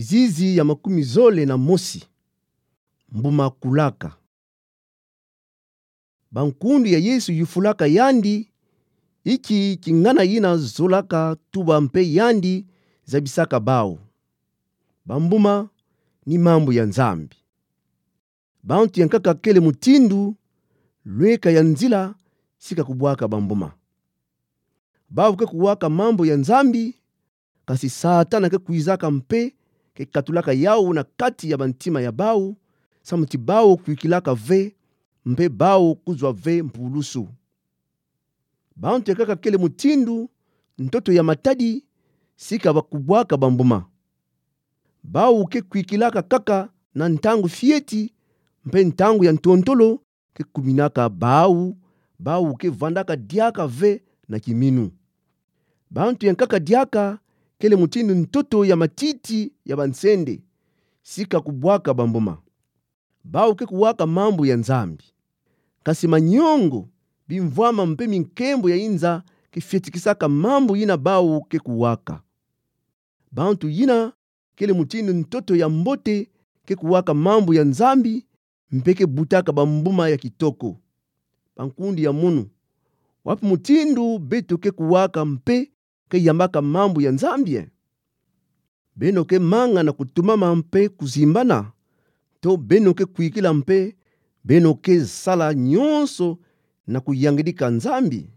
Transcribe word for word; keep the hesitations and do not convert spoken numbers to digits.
Zizi ya makumi zole na mosi. Mbuma kulaka. Bankundu ya Yesu yufulaka yandi, inki kingana yina zolaka tuba mpe yandi zabisaka bau. Bambuma ni mambu ya Nzambi. Bantu ya nkaka kele mutindu, lweka ya nzila, sika kubwaka bambuma. Bau ke kuwaka mambu ya Nzambi, kasi Satana ke kwizaka mpe ke katulaka yau na kati ya bantima ya bau, samu ti bau kwikilaka ve, mpe bau kuzwa ve mpulusu. Bantu ya nkaka kele mutindu, ntoto ya matadi, sika ba kubwaka bambuma. Bau ke kwikilaka kaka na ntangu fieti, mpe ntangu ya ntontolo, ke kuminaka bau, bau ke vandaka diaka ve na kiminu. Bantu ya nkaka diaka, kele mutindu ntoto ya matiti ya bansende, sika kubwaka bambuma. Bau ke kuwaka mambu ya Nzambi. Kasi manyongo, bimvwama mpe minkembo ya inza ke fietikisaka mambu yina bau ke kuwaka. Bantu yina, kele mutindu ntoto ya mbote ke kuwaka mambu ya Nzambi, mpe ke butaka bambuma ya kitoko. Bankundu ya munu, wapi mutindu beto ke kuwaka mpe ke yambaka mambu ya Nzambi, e? Beno ke manga na kutumama mpe kuzimbana, to beno ke kwikila mpe beno ke sala nyonso na kuyangidika Nzambi?